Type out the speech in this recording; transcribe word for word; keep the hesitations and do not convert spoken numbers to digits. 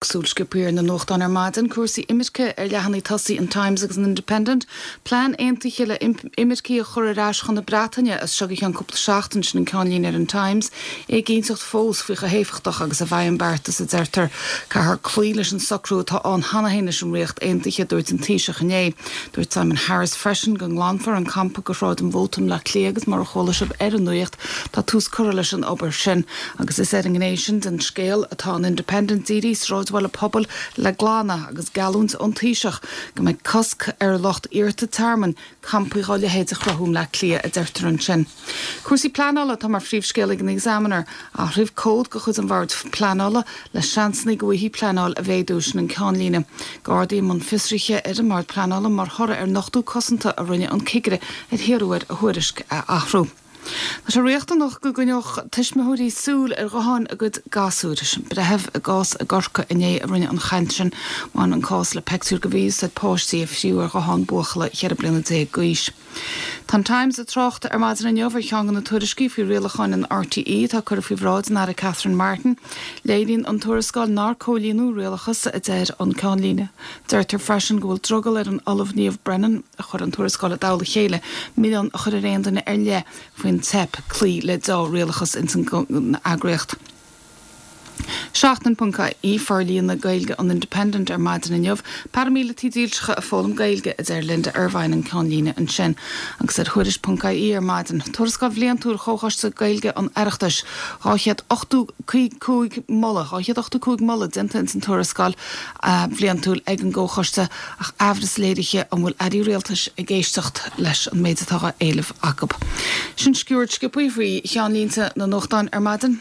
Súil sciobtha ar na nuachtáin ar maidin cúrsaí imirce ar leathanaigh tosaigh an Times agus an Independent, plean aontaithe le imircigh a chur ar ais chun na Breataine as seo go ceann cúpla seachtain sin an ceannlíne ar an Times, éiginnteacht fós faoi chomh héifeachtach agus a bheidh an beartas a deirtear caithfear cloí leis an socrú atá ann cheana féin leis an Ríocht Aontaithe dúirt an Taoiseach inné. Dúirt Simon Harris freisin go nglanfar an campa go Sráid an Mhóta i mBleá Cliath agus mar a chuala sibh ar an nuacht tá tús curtha leis an obair sin agus is ar an ngné sin den scéal atá an Independent dírithe sráidbhaile pobail le glanadh agus geallúint ón Taoiseach go mbeidh cosc ar lucht iarrta tearmainn campaí dá leithéid a chruthú i mBleá Cliath a deirtear ansin. Cúrsaí pleanála tá mar phríomhscéal ag an Examiner athraíodh cód de chuid an Bhoird Pleanála le seansanna go bhfaighfí pleanáil a mhéadú sin an ceannlíne. Gardaí i mbun fiosraithe ar an mBord Pleanála mar thoradh ar nochtadh cosanta a rinne an cigire ar hiarradh air a thuairisc a athrú. Tá sé riachtanach go gcoinneodh tuismitheoirí súil ar ghutháin a gcuid gasúr sin breitheamh i gcás i gCorcaigh inné a rinne an chaint sin bhain an cás le pictiúr de mhí-úsáid páistí a fríodh ar ghuthán buachalla cheithre bliana déag d'aois. Tá an Times ag trácht ar maidin inniu ar cheann de na tuairiscí faoi rialacháin an RTÉ atá curtha faoi bhráid an Aire Catherine Martin, Léiríonn an tuarascáil nár comhlíonadh rialachas a deir an ceannlíne. Deirtear freisin go bhfuil drogall ar an Ollamh Niamh Brennan a chuir an tuarascáil i dtoll a chéile, milleán a chur ar aon duine ar leith faoin teip cloí le dea-rialachas ins an eagraíocht. Seachtain ponc ie forlíonadh Gaeilge an Independent ar maidin inniu, Paraimíleataigh dílseacha ag foghlaim Gaeilge a deir Linda Ervine an ceannlíne ansin, agus ar Thuairisc ponc ie ar maidin. Tuarascáil bhliantúil Chomhchoiste Gaeilge an Oireachtais dhá chéad ochtó cúig moladh dhá chéad ochtó cúig moladh déanta ins an tuarascáil bhliantúil ag an gComhchoiste ach amhras léirithe an bhfuil airí rialtais ag éisteacht leis an méid atá á éileamh acu. Sin sciuird sciobtha faoi cheannlínte na nuachtán ar maidin.